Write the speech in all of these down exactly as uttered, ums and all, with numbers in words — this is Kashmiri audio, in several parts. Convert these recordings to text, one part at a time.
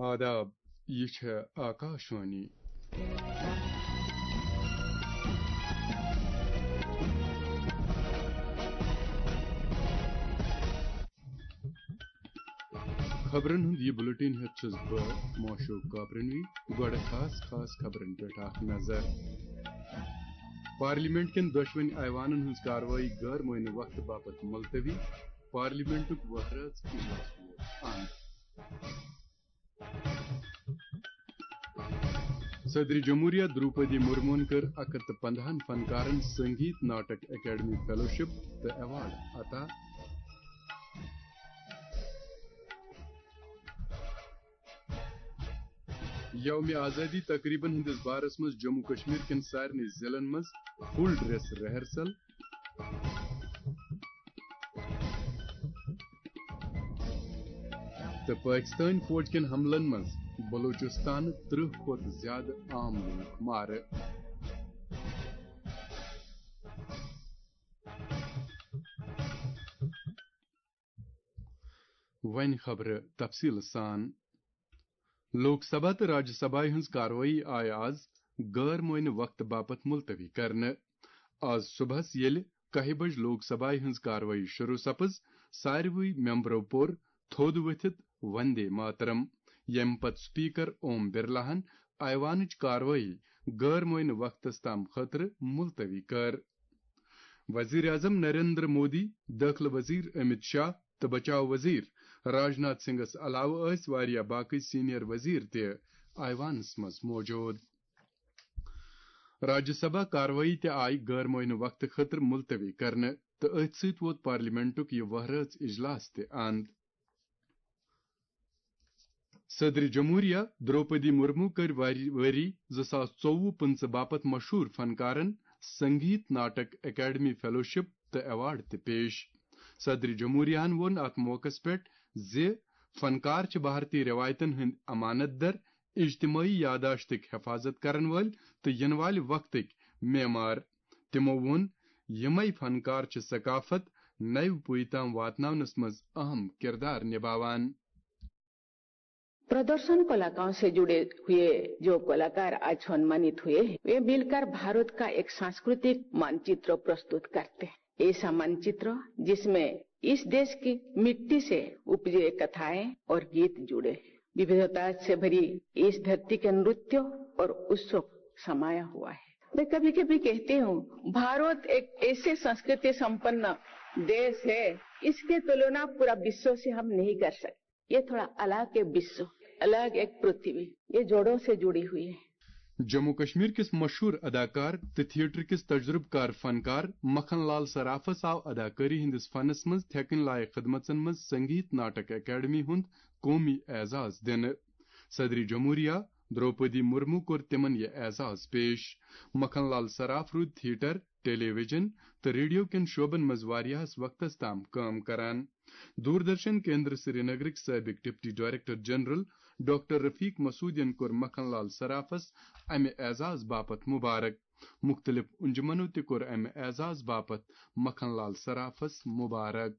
آداب، یہِ چھےٚ آکاشوانی۔ خبرن ہُنٛد یہِ بُلٹن ہٮ۪تھ چھُس بہٕ معشوق کاپرنوی۔ گۄڈٕ خاص خاص خبرن پٮ۪ٹھ اکھ نظر۔ پارلیمنٹ کٮ۪ن دۄشوٕنۍ ایوانن ہٕنٛز کاروٲیی غٲر معینہٕ وقتہٕ باپتھ ملتوی، پارلیمنٹُک وہرٲژ اجلاس ووت اند۔ صدر جمہوریہ دروپدی مرمون کٔر اکھ ہتھ تہٕ پندہن فنکارن سنگیت ناٹک اکیڈمی فیلوشپ تہٕ ایوارڈ عطا۔ یوم آزادی تقریبن ہٕنٛدِس بارس منٛز جموں کشمیر کٮ۪ن سارنٕے ضلعن منٛز فل ڈریس ریہرسل۔ تہٕ پٲکِستٲنۍ فوج کٮ۪ن حملن منٛز بلوچستانہٕ ترٕٛہ کھۄتہٕ زیادٕ عام لوٗکھ مارٕ۔ وۄنۍ خبرٕ تفصیٖل سان۔ لوک سبھا تہٕ راجیہ سبھایہِ ہٕنٛز کاروٲیی آیہِ آز غٲر معینہٕ وقتہٕ باپتھ ملتوی کرنہٕ۔ آز صبحس ییٚلہِ کاہہِ بجہِ لوک سبھایہِ ہٕنٛز کاروٲیی شروع سپٕز، ساروٕے ممبرو پوٚر تھوٚد ؤتھِتھ وندے ماترم، ییٚمہِ پتہٕ سپیکر اوم برلاہن ایوانٕچ کاروٲیی غٲر معینہٕ وقتس تام خٲطرٕ ملتوی کٔر۔ وزیر اعظم نریندر مودی، دٲخلہٕ وزیر امت شاہ تہٕ بچاو وزیر راجناتھ سنگھس علاوٕ ٲسۍ واریاہ باقٕے سینئر وزیر تہِ ایوانس منٛز موجود۔ راجیہ سبھا کاروٲیی تہِ آیہِ غٲر معینہٕ وقتہٕ خٲطرٕ ملتوی کرنہٕ تہٕ أتھۍ سۭتۍ ووت پارلیمنٹُک یہِ وہرٲژ اجلاس تہِ اند۔ صدر جمہوریہ دروپدی مرمو کٔر واری-، ؤری زٕ ساس ژوٚوُہ پٕنٛژٕہ باپتھ مشہوٗر فنکارن سنگیت ناٹک اکیڈمی فیلوشپ تہٕ ایوارڈ تہِ پیش۔ صدر جمہوریہن ووٚن اتھ موقعس پٮ۪ٹھ زِ فنکار چھِ بھارتی رٮ۪وایتن ہٕنٛدۍ امانت در، اجتمٲعی یاداشتٕکۍ حفاظت کرن وٲلۍ تہٕ یِنہٕ والہِ وقتٕکۍ معمار۔ تِمو ووٚن، یِمے فنکار چھِ ثقافت نوِ پُیہِ تام واتناونس منٛز اہم کردار نباوان۔ प्रदर्शन कलाकारों से जुड़े हुए जो कलाकार आज सम्मानित हुए हैं, वे मिलकर भारत का एक सांस्कृतिक मानचित्र प्रस्तुत करते हैं। ऐसा मानचित्र जिसमें इस देश की मिट्टी से उपजे कथाएं और गीत जुड़े हैं। विविधता से भरी इस धरती के नृत्य और उत्सव समाया हुआ है। मैं कभी कभी कहती हूँ, भारत एक ऐसे संस्कृति संपन्न देश है, इसके तुलना पूरा विश्व से हम नहीं कर सकते। ये थोड़ा अलग है विश्व, अलग एक पृथ्वी, ये जोड़ों से जुड़ी हुई है। جموں کشمیر کِس مشہوٗر اداکار تہٕ تھیٹر کِس تجربہٕ کار فنکار مکھن لال صرافس آو اداکٲری ہٕنٛدِس فنس منٛز تھٮ۪کٕنۍ لایق خدمژن منٛز سنگیت ناٹک اکیڈمی ہُنٛد قومی اعزاز دِنہٕ۔ صدر جمہوریہ دروپدی مرمو کوٚر تِمن یہِ اعزاز پیش۔ مکھن لال صراف روٗدۍ تھیٹر، ٹیلی ویژن تہٕ ریڈیو کٮ۪ن شعبن منٛز واریاہس وقتس تام کٲم کران۔ دوردرشن کیندر سرینگرٕکۍ سٲبق ڈپٹی ڈائریکٹر جنرل ڈاکٹر رفیق مسعودین کوٚر مکھن لال صرافس امہِ اعزاز باپتھ مبارک۔ مُختٔلِف انجمنو تہِ کوٚر امہِ اعزاز باپتھ مکھن لال صرافس مبارک۔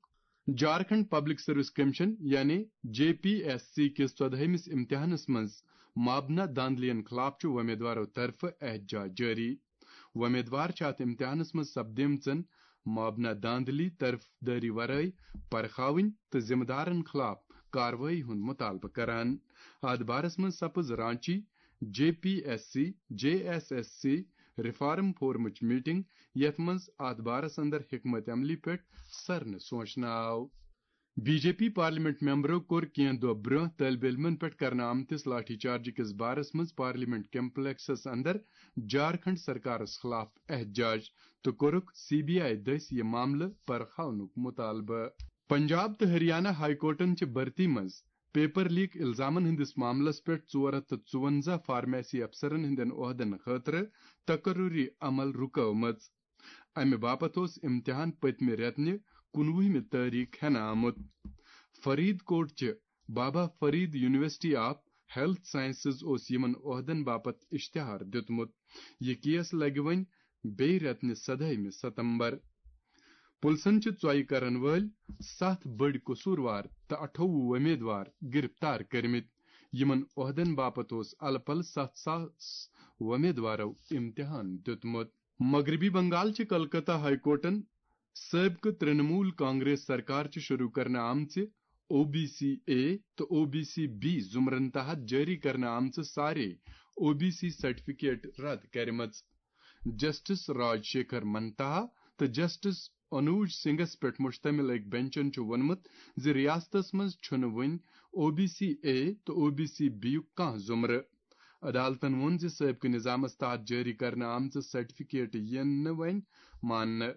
جھارکھنڈ پبلک سروس کمیشن یعنی جے پی ایس سی کِس ژۄدہٲیمِس امتحانس منٛز مابنا دھاندلین خلاف چھُ وۄمیدوارو طرفہٕ احتجاج جٲری۔ وۄمیدوار چھِ اتھ امتحانس منٛز سپدیمژن مابنا دھاندلی طرفدٲری ورٲے پرخاوٕنۍ تہٕ ذمہٕ دارن خلاف کاروٲیی ہُنٛد مطالبہٕ کران۔ اتھ بارس منٛز سپٕز Ranchi J P S C, J S S C reform فورمٕچ میٹنگ، یتھ منٛز اتھ بارس اندر حکمت عملی پٮ۪ٹھ سرنہٕ سونچنہٕ آو۔ بی جے پی پارلیمنٹ ممبرو کوٚر کینٛہہ دۄہ برٛونٛہہ طٲلب علمن پٮ۪ٹھ کرنہٕ آمتِس لاٹھی چارج کِس بارس منٛز پارلیمنٹ کمپلیکسس اندر جھارکھنڈ سرکارس خلاف احتجاج تہٕ کوٚرُکھ سی بی آئی دٔسۍ یہِ معاملہٕ پرخاونُک مطالبہٕ۔ پنجاب تہٕ ہریانہ ہائی کورٹن چھِ بھرتی منٛز پیپر لیک الزامن ہٕنٛدِس معاملس پٮ۪ٹھ ژور ہتھ تہٕ ژُونزہ فارمیسی افسرن ہٕنٛدٮ۪ن عہدن خٲطرٕ تقرری عمل رُکٲومٕژ۔ امہِ باپتھ اوس امتحان پٔتمہِ رٮ۪تنہِ کُنوُہمہِ تٲریخ ہٮ۪نہٕ آمُت۔ فرید کوٹ چہِ Baba Farid university of health sciences اوس یِمن عہدن باپتھ اشتہار دیُتمُت۔ یہِ کیس لگہِ وۄنۍ بیٚیہِ رٮ۪تنہِ سدہٲیمہِ ستمبر۔ پُلسن چھِ ژۄیہِ کرن وٲلۍ ستھ بٔڑۍ قصوٗروار تہٕ اَٹھووُہ وۄمیدوار گرفتار کٔرمٕتۍ۔ یِمن عہدن باپتھ اوس الہٕ پلہٕ ستھ ساس وۄمیدوارو امتحان دیُتمُت۔ مغربی بنگال چہِ کلکتہ ہائی کورٹن سٲبقہٕ ترنمول کانگریس سرکار چہِ شروع کرنہٕ آمژِ او بی سی اے تہٕ او بی سی بی زمرن تحت جٲری کرنہٕ آمژٕ سارے او بی سی سرٹیفکیٹ رد کرِمژٕ۔ جسٹس راج شیکھر منتھا تہٕ جسٹس انوج سنگھس پٮ۪ٹھ مشتمل أکۍ بنچن چھُ ووٚنمُت زِ ریاستس منٛز چھُنہٕ وُنہِ او بی سی اے تہٕ او بی سی بی یُک کانٛہہ زمرٕ۔ عدالتن ووٚن زِ سٲبقہٕ نظامس تحت جٲری کرنہٕ آمژٕ سرٹیفکیٹ یِن نہٕ وۄنۍ ماننہٕ۔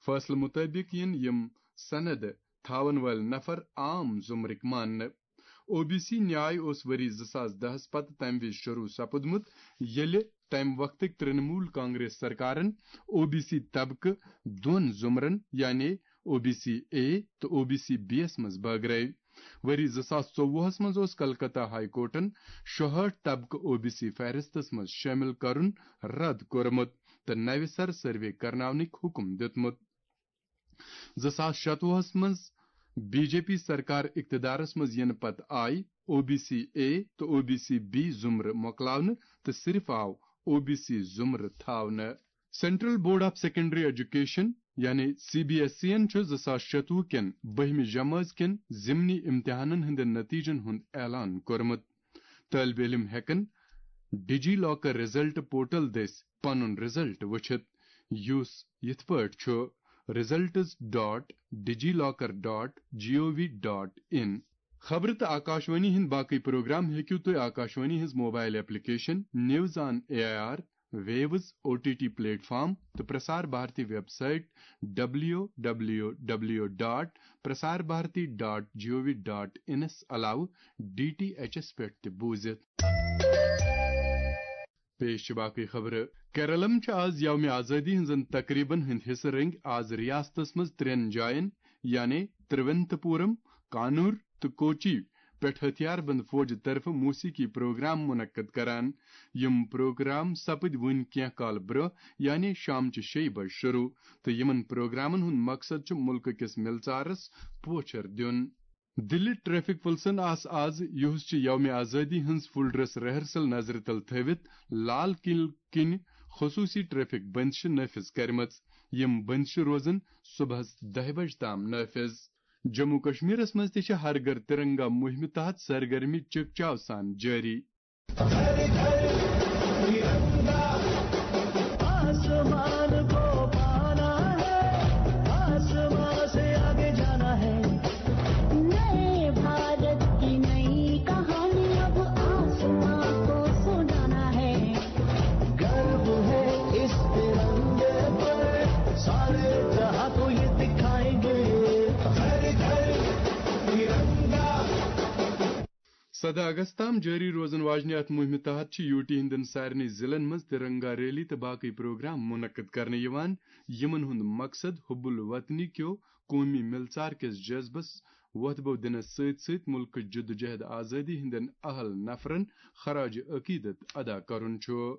فٲصلہٕ مُطٲبِق یِن یِم سند تھاون وٲلۍ نفر عام زمرٕکۍ ماننہٕ۔ او بی سی نیاے اوس ؤری زٕ ساس دہس پتہٕ تمہِ وِزِ شروع سپُدمُت، ییٚلہِ تمہِ وقتٕکۍ ترنمول کانگریس سرکارن او بی سی طبقہٕ دۄن زمرن، یعنی او بی سی اے تہٕ او بی سی بی یس منٛز بٲگرٲوۍ۔ ؤری زٕ ساس ژوٚوُہس منٛز اوس کلکتہ ہائی کورٹن شُہٲٹھ طبقہٕ او بی سی فہرستس منٛز شٲمِل کرُن رد کوٚرمُت تہٕ نوِ سرٕ سروے کرناونٕکۍ حکم دیُتمُت۔ زٕ ساس شتوُہس منٛز بی جے پی سرکار اقتدارس منٛز یِنہٕ پتہٕ آیہِ او بی سی اے تہٕ او بی سی بی زمرٕ مۄکلاونہٕ تہٕ صرف آو او بی سی زمرٕ تھاونہٕ۔ Central board of secondary education یعنی سی بی ایس ای یَن چھُ زٕ ساس شتوُہ کٮ۪ن بٔہمہِ جمٲژ کٮ۪ن ضمنی امتحانن ہٕنٛدٮ۪ن نتیجن ہُنٛد اعلان کوٚرمُت۔ طٲلب علم ہٮ۪کن D G locker result portal دٔسۍ پنُن رزلٹ وٕچھِتھ، یُس یِتھ پٲٹھۍ چھُ results dot digilokar dot gov dot in۔ خبرٕ تہٕ آکاشوانی ہٕنٛدۍ باقٕے پروگرام ہیٚکِو تُہۍ آکاشوانی ہٕنٛز mobile application news on A I R, views O T T platform تہٕ Prasar Bharati website W W W dot Prasar Bharati dot G O V dot انس علاوٕ ڈی ٹی ایچس پٮ۪ٹھ تہِ بوٗزِتھ۔ پیش چھِ باقٕے خبرٕ۔ کیرلم چھِ آز یومِ آزٲدی ہٕنٛزن تقریبن ہٕنٛدۍ حصہٕ رٔنگۍ آز ریاستس منٛز ترٛٮ۪ن جاین، یعنی تروینتپورم، کانور تہٕ کوچی پٮ۪ٹھ ہتھیار بند فوجہِ طرفہٕ موسیقی پروگرام منعقد کران۔ یِم پروگرام سپٕدۍ وُنہِ کینٛہہ کال برٛونٛہہ، یعنی شامچہِ شیٚیہِ بجہِ شروع، تہٕ یِمن پروگرامن ہُنٛد مقصد چھُ مُلکہٕ کِس مِلژارس پوچھر دیُن۔ دِلہِ ٹریفک پُلسن آس آز، یُہُس چھِ یومِ آزٲدی ہٕنٛز فُل ڈریس ریہرسل نظرِ تل تھٲوِتھ لال قلعہٕ کِنۍ خصوٗصی ٹریفک بندشہٕ نٲفِذ کرِمژٕ۔ یِم بندشہٕ روزن صبحس دَہہِ بجہِ تام نٲفِذ۔ جموں کشمیرس منٛز تہِ چھِ ہر گھر ترنگا مُہِمہِ تحت سرگرمی چکچاو سان جٲری۔ آسمان کو پانا ہے، آسمان سے آگے جانا ہے۔ نئے بھارت کی نئی کہانی اب آسمان کو سنانا ہے۔ گرو ہے اس ترنگے پر، سارے جہاں کو یہ دکھائیں گے۔ گھر گھر ترنگا۔ سدہ اگست تام جٲری روزن واجنہِ اتھ مُہِمہِ تحت چھِ یوٗ ٹی ہٕنٛدٮ۪ن سارنٕے ضلعن منٛز ترنگا ریلی تہٕ باقٕے پروگرام منعقد کرنہٕ یِوان، یِمن ہُنٛد مقصد حب الوطنی کیو قومی مِلژار کِس جذبس وۄتھبو دِنس سۭتۍ سۭتۍ مُلکٕچ جدوجہد آزٲدی ہٕنٛدٮ۪ن اہل نفرن خراج عقیدت ادا کرُن چھُ۔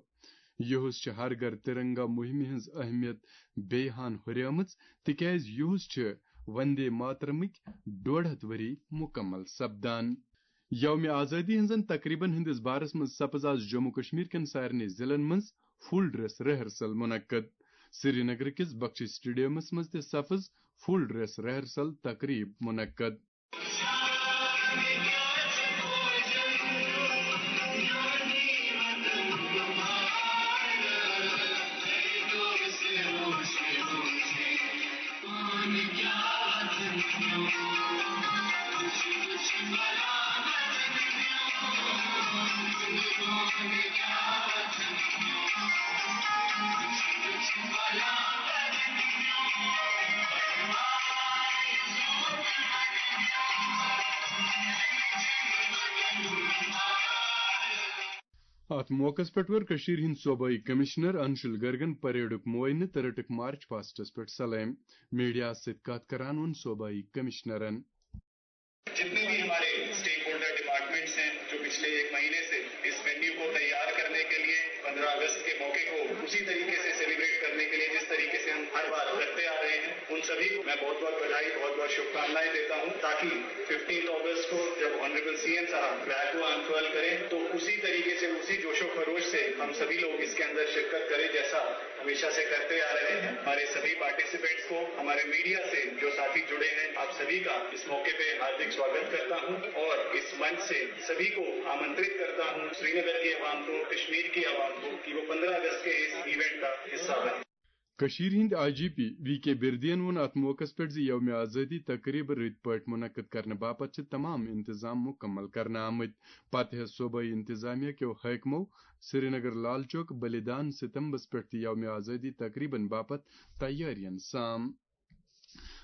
یُہُس چھِ ہر گھر ترنگا مُہِمہِ ہٕنٛز اہمیت بیٚیہِ ہن ہُریمٕژ، تِکیازِ یُہُس چھِ وندے ماترمٕکۍ ڈۄڈ ہتھ ؤری مُکمل سپدان۔ یومِ آزٲدی ہٕنٛزن تقریبن ہٕنٛدِس بارس منٛز سپٕز آز جموں کشمیر کٮ۪ن سارنٕے ضلعن منٛز فُل ڈریس ریہرسل منعقد۔ سرینگر کِس بخشی سٹیڈیمس منٛز تہِ سپٕز فُل ڈریس ریہرسل تقریب منعقد۔ اتھ موقعس پٮ۪ٹھ وٲر کٔشیٖرِ ہٕنٛدۍ صوبٲئی کمشنر انشل گرگن پریڈُک معائنہٕ تہٕ رٔٹٕکھ مارچ پاسٹس پٮ۪ٹھ سلٲمۍ۔ میڈیاہس سۭتۍ کتھ کران ووٚن صوبٲئی کمشنرن۔ جتنے بھی ہمارے اسٹیک ہولڈر ڈپارٹمنٹس ہیں، جو پچھلے ایک مہینے से इस वेन्यू को तैयार करने के लिए, पन्द्रह अगस्त के मौके को उसी तरीके से सेलिब्रेट करने के लिए जिस तरीके से हम हर बार करते आ रहे हैं, उन सभी को मैं बहुत बहुत बधाई, बहुत बहुत शुभकामनाएं देता हूं, ताकि फिफ्टीन अगस्त को जब ऑनरेबल सीएम साहब फ्लैग को अनफर्ल करें, तो उसी तरीके से, उसी जोशो खरोश से हम सभी लोग इसके अंदर शिरकत करें, जैसा हमेशा से करते आ रहे हैं। हमारे सभी पार्टिसिपेंट्स को, हमारे मीडिया से जो साथी जुड़े हैं, आप सभी का इस मौके पे हार्दिक स्वागत करता हूं और इस मंच से सभी को आमंत्रित करता हूं, श्रीनगर की आवाम को, कश्मीर की आवाम को, कि वो पन्द्रह अगस्त के इस इवेंट का हिस्सा बने। کٔشیٖرِ ہٕنٛدۍ آئی جی پی وی کے بِردیَن ووٚن اَتھ موقعَس پٮ۪ٹھ زِ یومِ آزٲدی تقریٖبہٕ رٕتۍ پٲٹھۍ منعقد کرنہٕ باپتھ چھِ تمام انتظام مُکمل کرنہٕ آمٕتۍ۔ پتہٕ ہٮ۪ژ صوبٲئی انتظامیہ کیو حٲکمو سرینگر لال چوک بلیدان ستمبس پٮ۪ٹھ تہِ یومِ آزٲدی تقریٖبن باپتھ تیٲرین سام۔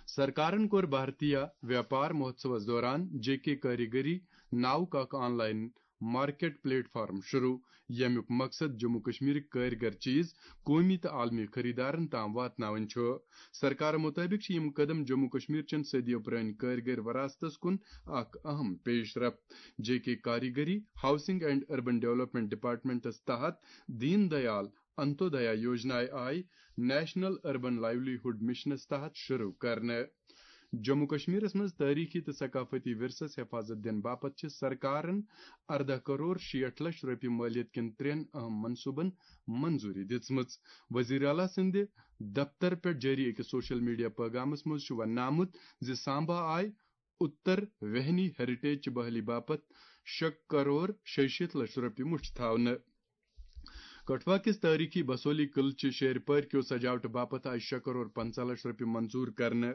سرکارن کوٚر بھارتیہ ویاپار مہوتسوس دوران جے کے کاریگری ناوُک اکھ on line market plate form شروع، ییٚمیُک مقصد جموں کشمیرٕکۍ کٲرۍ گر چیز قومی تہٕ عالمی خریدارن تام واتناوٕنۍ چھُ۔ سرکار مطٲبق چھِ یِم قدم جموں کشمیر چٮ۪ن صدیو پرٲنۍ کٲرۍ گر وراثتس کُن اکھ اہم پیش رفت۔ جے کے کاریگری، housing and urban development departments تحت دین دیال انتودیا یوجنایہِ آیہِ نیشنل اربن لائیولی ہُڈ مشنس تحت شروع کرنہٕ۔ جموں کشمیرس منٛز تٲریخی تہٕ ثقافتی ورثس حفاظت دِنہٕ باپتھ چھِ سرکارن اردہ کرور شیٹھ لچھ رۄپیہِ مٲلیت کٮ۪ن ترٛٮ۪ن اہم منصوٗبن منظوٗری دِژمٕژ۔ وزیر اعلیٰ سٕنٛدِ دفتر پٮ۪ٹھ جٲری أکِس سوشل میڈیا پیغامس منٛز چھُ وننہٕ آمُت زِ سامبا آیہِ اُتر وہنی ہیریٹیج چہِ بحالی باپتھ شےٚ کرور شیٚیہِ شیٖتھ لچھ رۄپیہِ مُٹھ تھاونہٕ۔ کٹھوا کِس تٲریخی بسولی قلعہٕ چہِ شیرپٲرۍ کیو سجاوٹہٕ باپتھ آیہِ شےٚ کرور پنٛژاہ لچھ رۄپیہِ منظوٗر کرنہٕ۔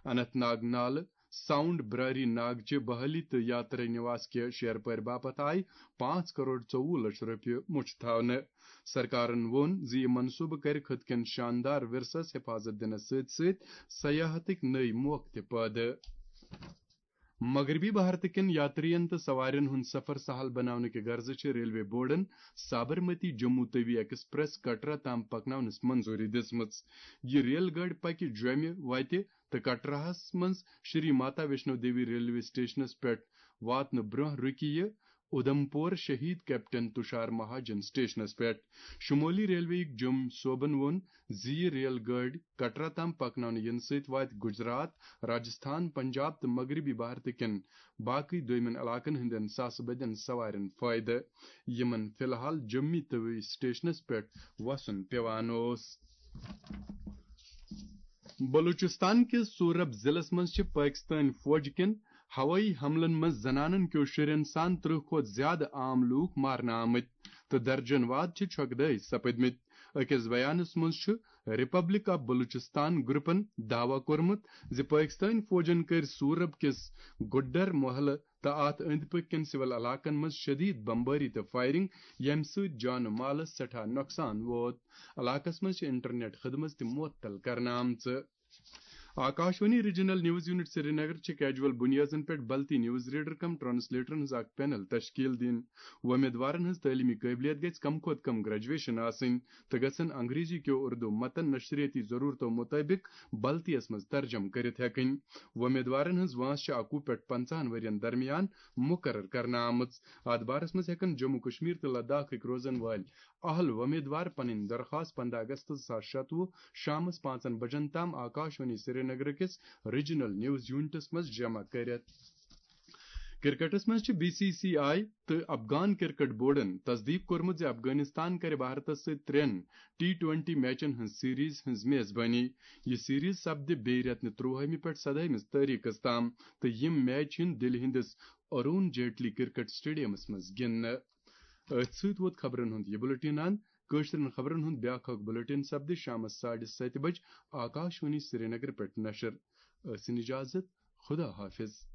اننت ناگ نالہٕ، ساؤنڈ براری ناگ چہِ بحالی تہٕ یاترا نواس کہِ شیرپٲرۍ باپتھ آیہِ پانٛژھ کرور ژوٚوُہ لچھ رۄپیہِ مُٹھ تھاونہٕ۔ سرکارن ووٚن زِ یہِ منصوٗبہٕ کرِ خٕطہٕ کٮ۪ن شاندار ورثس حفاظت دِنس سۭتۍ سۭتۍ سیاحتٕکۍ نٔوۍ موقعہٕ تہِ پٲدٕ۔ مغربی بھارت کٮ۪ن یاترین تہٕ سوارٮ۪ن ہُنٛد سفر سہل بناونہٕ کہِ غرضہٕ چھِ railway Borden Sabarmati Jammu Tawi express Katra تام پکناونس منظوٗری دِژمٕژ۔ یہِ ریل گٲڑۍ پکہِ جوٚمہِ وتہِ تہٕ کٹراہس منٛز شری ماتا ویشنو دیوی ریلوے سٹیشنس پٮ۪ٹھ واتنہٕ برٛونٛہہ رُکہِ یہِ اُدھمپور شہید کیپٹن تُشار مہاجن سٹیشنس پٮ۪ٹھ۔ شمولی ریلوے یُک جوٚم صوبن ووٚن زِ یہِ ریل گٲڑۍ کٹرا تام پکناونہٕ یِنہٕ سۭتۍ واتہِ گجرات، راجستھان، پنجاب تہٕ مغربی بھارت کٮ۪ن باقٕے دوٚیمٮ۪ن علاقن ہٕنٛدٮ۪ن ساسہٕ بٔدٮ۪ن سوارٮ۪ن فٲیدٕ، یِمن فی الحال جوٚمی توی سٹیشنس پٮ۪ٹھ وسُن پٮ۪وان اوس۔ بلوچستان کِس سورب ضلعس منٛز چھِ پٲکستٲنۍ فوج کٮ۪ن ہوٲیی حملن منٛز زنانن کیو شُرٮ۪ن سان ترٕٛہ کھۄتہٕ زیادٕ عام لوٗکھ مارنہٕ آمٕتۍ تہٕ درجن واد چھِ چھۄکہٕ دٲے سپٕدمٕتۍ۔ أکِس بیانس منٛز چھُ ریپبلک آف بلوچستان گروپن دعویٰ کوٚرمُت زِ پٲکستٲنۍ فوجن کٔرۍ سورب کِس گڈر محلہٕ تہٕ اتھ أنٛدۍ پٔکۍ کٮ۪ن سول علاقن منٛز شدید بمبٲری تہٕ فائرنگ، ییٚمہِ سۭتۍ جان و مالس سٮ۪ٹھاہ نۄقصان ووت۔ علاقس منٛز چھِ انٹرنیٹ خدمت تہِ معطل کرنہٕ آمژٕ۔ Akashvani regional news unit Srinagar چھِ کیجول بنیادن پٮ۪ٹھ بلتی نیوز ریڈر کم ٹرانسلیٹرن ہٕنٛز اکھ پینل تشکیل دِنۍ۔ وۄمیدوارن ہٕنٛز تعلیمی قٲبلیت گژھِ کم کھۄتہٕ کم گریجویشن آسٕنۍ تہٕ گژھن انگریزی کیو اردو متن نشریٲتی ضرورتو مطٲبق بلتیس منٛز ترجمہٕ کٔرِتھ ہٮ۪کٕنۍ۔ وۄمیدوارن ہٕنٛز وٲنٛس چھِ اَکوُہ پٮ۪ٹھ پنٛژاہن ؤرین درمیان مقرر کرنہٕ آمٕژ۔ اتھ بارس منٛز ہٮ۪کن جموں کشمیر تہٕ لداخٕکۍ روزن وٲلۍ اہل وۄمیدوار پنٕنۍ درخواست پنٛداہ اگست زٕ ساس شتوُہ شامس پانٛژن بجن تام آکاشوانی سرینگر کِس ریجنل نیوز یونٹس منٛز جمع کٔرِتھ۔ کرکٹس منٛز چھِ بی سی سی آئی تہٕ افغان کرکٹ بورڈن تصدیق کوٚرمُت زِ افغانستان کرِ بھارتس سۭتۍ ترٛٮ۪ن ٹی ٹوینٹی میچن ہٕنٛز سیریز ہٕنٛز میزبٲنی۔ یہِ سیریز سپدِ بیٚیہِ رٮ۪تہٕ نہِ ترٛوہمہِ پٮ۪ٹھ سدٲہمِس تٲریخس تام تہٕ یِم میچ یِن دِلہِ ہٕنٛدِس ارون جیٹلی کرکٹ سٹیڈیمس منٛز گِنٛدنہٕ۔ أتھۍ سۭتۍ ووت خبرن ہُنٛد یہِ بُلٹن اند۔ کٲشرٮ۪ن خبرن ہُنٛد بیٛاکھ اکھ بُلٹن سپدِ شامس ساڑِ ستہِ بجہِ آکاشوانی سرینگر پٮ۪ٹھ نشر۔ ٲسِن اجازت، خدا حافظ۔